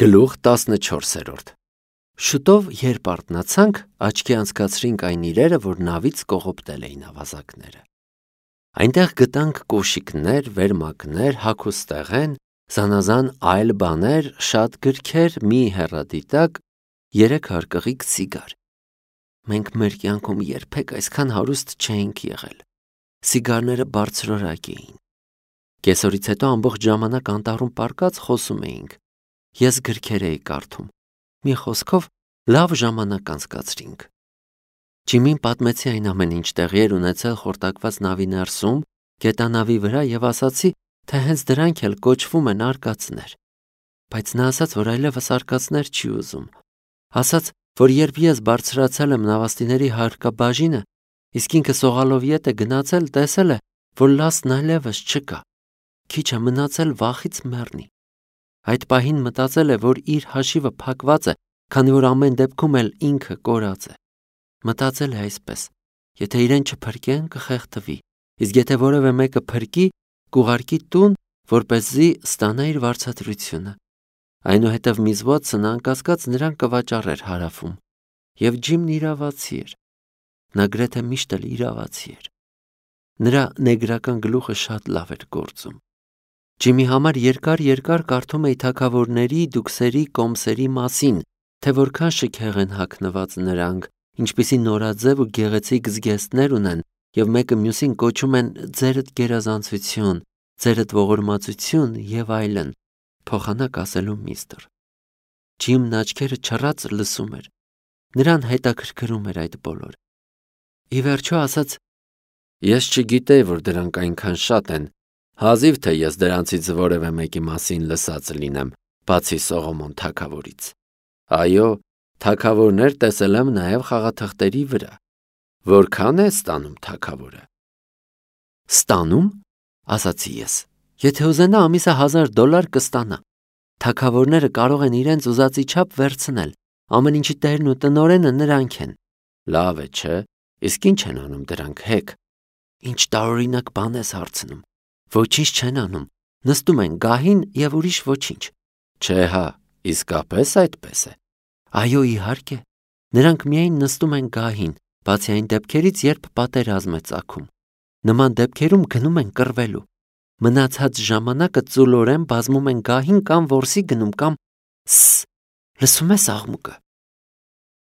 Գլուխ 14. Շուտով երբ արթնացանք, աչքի անցկացրինք այն իրերը, որ նավից կողոպտել էին ավազակները։ Այնտեղ գտանք կոշիկներ, վերմակներ, հագուստեղեն, զանազան այլ բաներ, շատ գրքեր, մի հեռադիտակ, 3 հարկղիկ սիգար։ Մենք մեր կյանքում երբեք այսքան հարուստ չէինք եղել։ Սիգարները բարձրորակ էին։ Կեսօրից հետո ամբողջ ժամանակ անտառում պառկած խոսում էինք։ Ես գրքեր էի կարդում։ Մի խոսքով լավ ժամանակ անցկացրինք։ Ջիմին պատմեցի այն ամեն ինչ տեղի էր ունեցել խորտակված նավի ներսում, գետանավի վրա եւ ասացի, թե հենց դրանք էլ կոչվում են արկածներ։ Բայց նա ասաց, որ այլևս արկածներ չի ուզում։ Ասաց, որ երբ ես բարձրացել եմ նավաստիների հարկաբաժինը, իսկ ինքը սողալով ետ է գնացել, տեսել է, որ լաստն այլևս չկա։ Քիչ է մնացել վախից մեռնի։ Այդ պահին մտածել է, որ իր հաշիվը փակված է, քանի որ ամեն դեպքում էլ ինքը կորած է։ Մտածել է այսպես. եթե իրեն չփրկեն, կխեղդվի, իսկ եթե որևէ մեկը փրկի, կուղարկի տուն, որպեսզի ստանա իր վարձատրությունը։ Այնուհետև Միզվոթսն անկասկած նրան կվաճառեր հարավում։ Եվ Ջիմն իրավացի էր։ Նա գրեթե միշտ էլ իրավացի էր։ Նրա նեգրական գլուխը շատ լավ էր գործում։ Ջիմի համար երկար կարդում էի թագավորների, դուքսերի, կոմսերի մասին, թե որքան շքեղ են հագնված նրանք, ինչպիսի նորաձև ու գեղեցիկ զգեստներ ունեն, եւ մեկը մյուսին կոչում են ձերդ գերազանցություն, ձերդ ողորմածություն եւ այլն, փոխանակ ասելու միստր։ Ջիմն աչքերը չռած լսում էր։ Նրան հետաքրքրում էր այդ բոլորը։ Ի վերջո ասաց. ես չգիտեի, որ դրանք այնքան շատ են, հազիվ թե ես դրանցից որևէ մեկի մասին լսած լինեմ, բացի Սողոմոն թագավորից։ Այո, թագավորներ տեսել եմ նաև խաղաթղթերի վրա։ Որքան է ստանում թագավորը։ Ստանում, ասացի ես, եթե ուզենա ամիսը $1000 կստանա։ Թագավորները կարող են իրենց ուզածի չափ վերցնել, ամեն ինչի տերն ու տնօրենը նրանք են։ Լավ է, չէ՞, իսկ ինչ են անում դրանք հեկ։ Ինչ տարօրինակ բան ես հարցնում։ Ոչինչ չեն անում, նստում են գահին եւ ուրիշ ոչինչ։ Չէ հա, իսկապես այդպես է։ Այո, իհարկե։ Նրանք միայն նստում են գահին, բացի այն դեպքերից, երբ պատերազմ է ծագում։ Նման դեպքերում գնում են կռվելու։ Մնացած ժամանակը ծուլորեն բազմում են գահին կամ որսի գնում կամ լսում ես աղմուկը։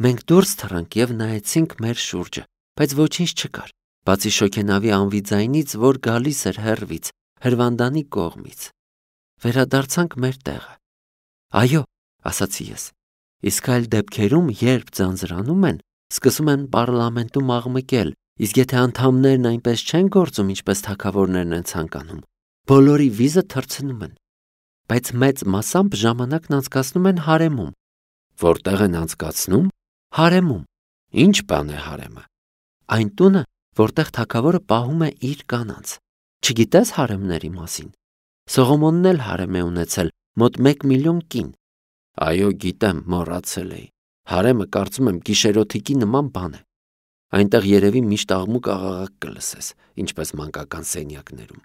Մենք դուրս թռանք եւ նայեցինք մեր շուրջը, բայց ոչինչ չկար, բացի շոգենավի անվի ձայնից, որ գալիս էր հեռվից, հրվանդանի կողմից։ Վերադարձանք մեր տեղը։ Այո, ասացի ես, իսկ այլ դեպքերում, երբ ձանձրանում են, սկսում են պարլամենտում աղմկել, իսկ եթե անդամներն այնպես չեն գործում, ինչպես թագավորներն են ցանկանում, բոլորի վիզը թռցնում են։ Բայց մեծ մասամբ ժամանակն անցկացնում են հարեմում։ Որտեղ են անցկացնում։ Հարեմում։ Ինչ բան է հարեմը։ Այն տունը, որտեղ թագավորը պահում է իր կանանց։ Չգիտես հարեմների մասին։ Սողոմոնն էլ հարեմ է ունեցել, մոտ 1 միլիոն կին։ Այո, գիտեմ, մոռացել էի։ Հարեմը կարծում եմ գիշերօթիկի նման բան է։ Այնտեղ երևի միշտ աղմուկ աղաղակ կլսես, ինչպես մանկական սենյակներում։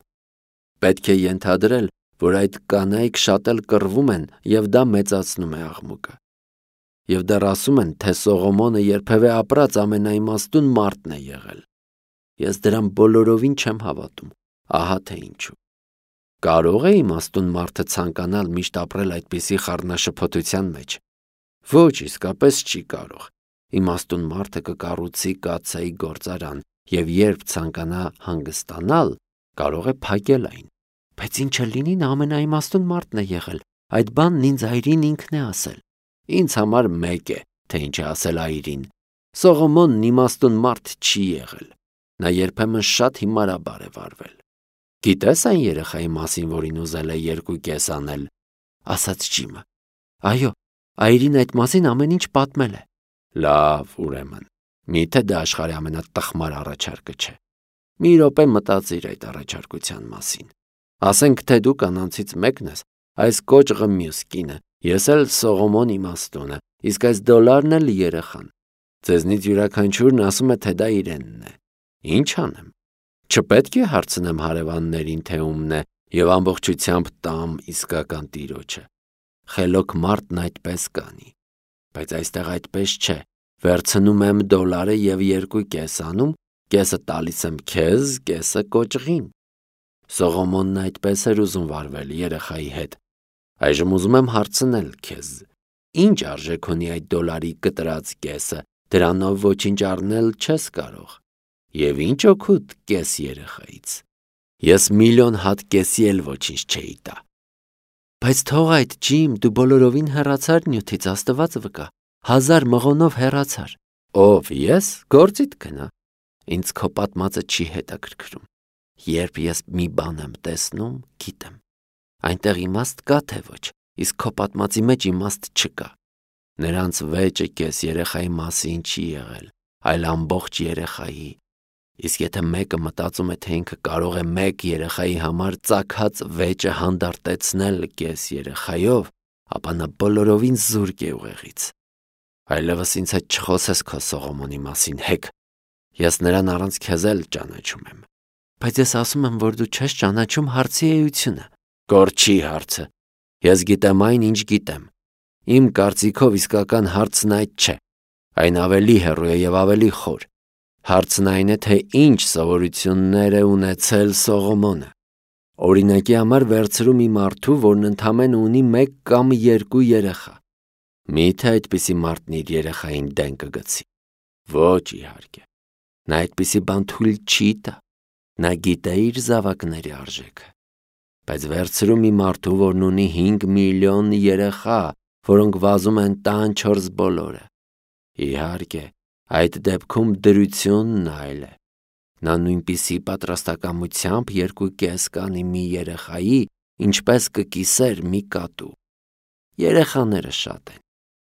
Պետք է ենթադրել, որ այդ կանայք շատ էլ կռվում են, եւ դա մեծացնում է աղմուկը։ Եվ դեռ ասում են, թե Սողոմոնը երբևէ ապրած ամենաիմաստուն մարդն է եղել։ Ես դրան բոլորովին չեմ հավատում, ահա թե ինչու։ Կարող է իմաստուն մարդը ցանկանալ միշտ ապրել այդպիսի խառնաշփոթության մեջ։ Ոչ, իսկապես չի կարող։ Իմաստուն մարդը կկառուցի կաթսայի գործարան եւ երբ ցանկանա հանգստանալ, կարող է փակել այն։ Բայց ինչը լինի, նա ամենաիմաստուն մարդն է եղել։ Այդ բանն ինձ այրին ինքն է ասել։ Ինձ համար մեկ է, թե ինչ է ասել այրին։ Սողոմոնն իմաստուն մարդ չի եղել։ Նա երբեմն շատ հիմարաբար է վարվել։ Գիտես այն երեխայի մասին, որին ուզել է 2 կես անել, ասաց Ջիմը։ Այո, այրին այդ մասին ամեն ինչ պատմել է։ Լավ, ուրեմն, միթե դա աշխարհի ամենատխմար առաջարկը չէ։ Մի րոպե մտածիր այդ առաջարկության մասին։ Ասենք, թե դու կանանցից մեկն ես, այս կոճղը մյուս կինը, ես էլ Սողոմոն իմաստունը, իսկ այս $ն էլ երեխան։ Ձեզնից յուրաքանչյուրն ասում է, թե դա իրենն է։ Ինչ անեմ։ Չպետք է հարցնեմ հարևաններին, թե ումն է, եւ ամբողջությամբ տամ իսկական տիրոջը։ խելոք մարդն այդպես կանի։ Բայց այստեղ այդպես չէ, վերցնում եմ $1 և 2 անում, կեսը տալիս եմ քեզ, կեսը կոճղին։ Սողոմոնն այդպես էր ուզում վարվել երեխայի հետ։ Այժմ ուզում եմ հարցնել քեզ. ինչ արժեք ունի այդ $1 կտրած կեսը, դրանով ոչինչ առնել չես կարող։ Եվ ինչ օգուտ կես երեխայից։ Ես միլիոն հատ կեսի էլ ոչինչ չէի տա։ Բայց թող այդ, Ջիմ, դու բոլորովին հեռացար նյութից, Աստված վկա, 1000 մղոնով հեռացար։ Ով ես, գործիդ գնա։ Ինձ քո պատմածը չի հետաքրքրում։ Երբ ես մի բան եմ տեսնում, գիտեմ։ Այնտեղ իմաստ կա թե ոչ, իսկ քո պատմածի մեջ իմաստ չկա։ Նրանց վեճը կես երեխայի մասին չի եղել, այլ ամբողջ երեխայի։ Իսկ եթե մեկը մտածում է, թե ինքը կարող է մեկ երեխայի համար ծագած վեճը հանդարտեցնել կես երեխայով, ապա նա բոլորովին զուրկ է ուղեղից։ Այլևս ինձ հետ չխոսես քո Սողոմոնի մասին, հեկ։ Ես նրան առանց քեզ էլ ճանաչում եմ։ Բայց ես ասում եմ, որ դու չես ճանաչում հարցի էությունը։ Գործի հարցը։ Ես գիտեմ այն, ինչ գիտեմ։ Իմ կարծիքով իսկական հարցն այդ չէ։ Այն ավելի հեռու է և ավելի խոր։ Հարցն այն է, թե ինչ սովորություններ է ունեցել Սողոմոնը։ Օրինակի համար վերցրու մի մարդու, որն ընդամենը ունի 1 կամ 2 երեխա։ Միթե այդպիսի մարդն իր երեխային դեն կգցի։ Ոչ, իհարկե։ Նա այդպիսի բան թույլ չի տա։ Նա գիտե իր զավակների արժեքը։ Բայց վերցրու մի մարդու, որն ունի 5 միլիոն երեխա, որոնք վազում են տան 4 բոլորը։ Իհարկե, այդ դեպքում դրությունն այլ է։ Նա նույնպիսի պատրաստակամությամբ 2 կանի մի երեխայի, ինչպես կկիսեր մի կատու։ Երեխաները շատ են։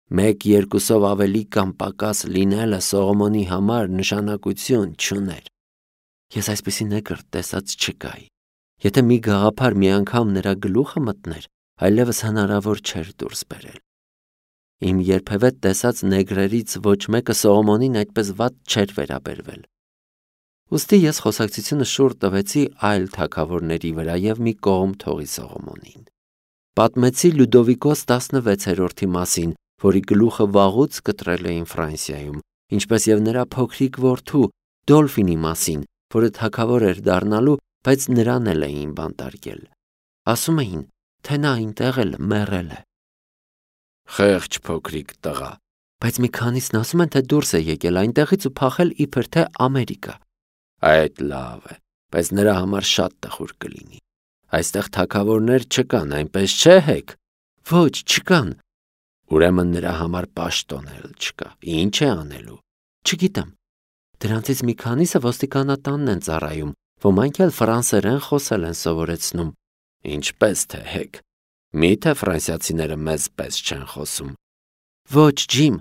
1-2-ով ավելի կամ պակաս լինելը Սողոմոնի համար նշանակություն չուներ։ Ես այսպիսի նեկրտ տեսած չկայի։ Եթե մի գաղափար մի անգամ նրա գլուխը մտներ, այլևս հնարավոր չէր դուրս բերել։ Իմ երբևէ տեսած նեգրերից ոչ մեկը Սողոմոնին այդպես վատ չէր վերաբերվել։ Ուստի ես խոսակցությունը շուռ տվեցի այլ թագավորների վրա և մի կողմ թողի Սողոմոնին։ Պատմեցի Լյուդովիկոս 16-րդի մասին, որի գլուխը վաղուց կտրել էին Ֆրանսիայում, ինչպես և նրա փոքրիկ որդու Դոլֆինի մասին, որը թագավոր էր դառնալու, բայց նրան էլ էին բանտարկել։ Ասում էին, թե նա այնտեղ էլ մեռել է։ Խեղճ փոքրիկ տղա։ Բայց մի քանիսն ասում են, թե դուրս է եկել այնտեղից ու փախել իբր թե Ամերիկա։ Այդ լավ է, բայց նրա համար շատ տխուր կլինի։ Այստեղ թագավորներ չկան, այնպես չէ, հեկ։ Ոչ, չկան։ Ուրեմն նրա համար պաշտոն էլ չկա։ Ինչ է անելու։ Չգիտեմ։ Դրանցից մի քանիսը ոստիկանատանն են ծառայում, ոմանք էլ ֆրանսերեն խոսել են սովորեցնում։ Ինչպես թե հեկ։ Միթե ֆրանսիացիները մեզ պես չեն խոսում։ Ոչ, Ջիմ,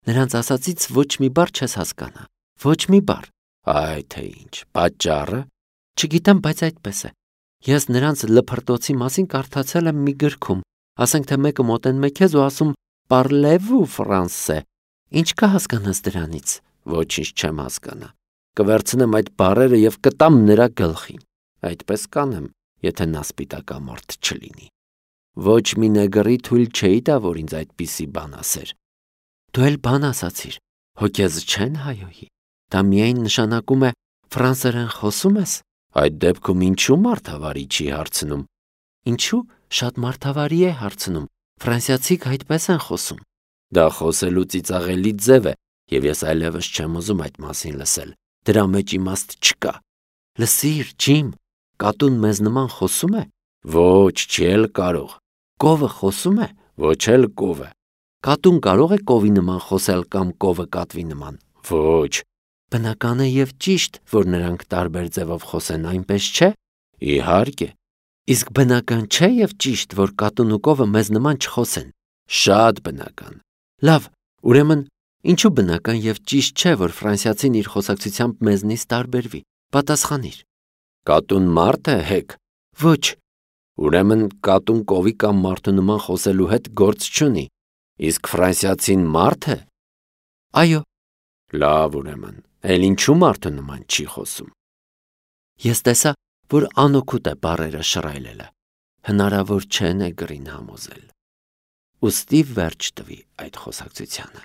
նրանց ասածից ոչ մի բառ չես հասկանա։ Ոչ մի բառ։ Այ թե ինչ, պատճառը։ Չգիտեմ, բայց այդպես է։ Ես նրանց լփրտոցի մասին կարդացել եմ մի գրքում։ Ասենք թե մեկը մոտենում է քեզ ու ասում «Parlez-vous français»։ Ինչ կհասկանաս դրանից։ Ոչինչ չեմ հասկանա։ Կվերցնեմ այդ բառերը և կտամ նրա գլխին։ Այդպես կանեմ, եթե նա սպիտակամորթ չլինի։ Ոչ մի նեգրի թույլ չէի տա, որ ինձ այդպիսի բան ասեր։ Դու էլ բան ասացիր։ Հո քեզ չեն հայոյի։ Դա միայն նշանակում է ֆրանսերեն խոսում ես։ Այդ դեպքում ինչու մարդավարի չի հարցնում։ Ինչու շատ մարդավարի է հարցնում։ Ֆրանսիացիք այդպես են խոսում։ Դա խոսելու ծիծաղելի ձև է, և ես այլևս չեմ ուզում այդ մասին լսել։ Դրա մեջ իմաստ չկա։ Լսիր, Ջիմ, կատուն մեզ նման խոսում է։ Ոչ, չի էլ կարող։ Կովը խոսում է։ Ոչ էլ կովը։ Կատուն կարող է կովի նման խոսել կամ կովը կատվի նման։ Ոչ։ Բնական է և ճիշտ, որ նրանք տարբեր ձևով խոսեն, այնպես չէ։ Իհարկե։ Իսկ բնական չէ և ճիշտ, որ կատուն ու կովը մեզ նման չխոսեն։ Շատ բնական։ Լավ, ուրեմն ինչու բնական և ճիշտ չէ, որ ֆրանսիացին իր խոսակցությամբ մեզնից տարբերվի։ Պատասխանիր։ Կատուն մարդ է, հեկ։ Ոչ։ Ուրեմն կատուն կովի կամ մարդու նման խոսելու հետ գործ չունի։ Իսկ ֆրանսիացին մարդ է։ Այո։ Լավ, ուրեմն, էլ ինչու մարդու նման չի խոսում։ Ես տեսա, որ անօգուտ է բառերը շռայլելը։ Հնարավոր չէ նեգրին համոզել։ ուստի վերջ տվի այդ խոսակցությանը։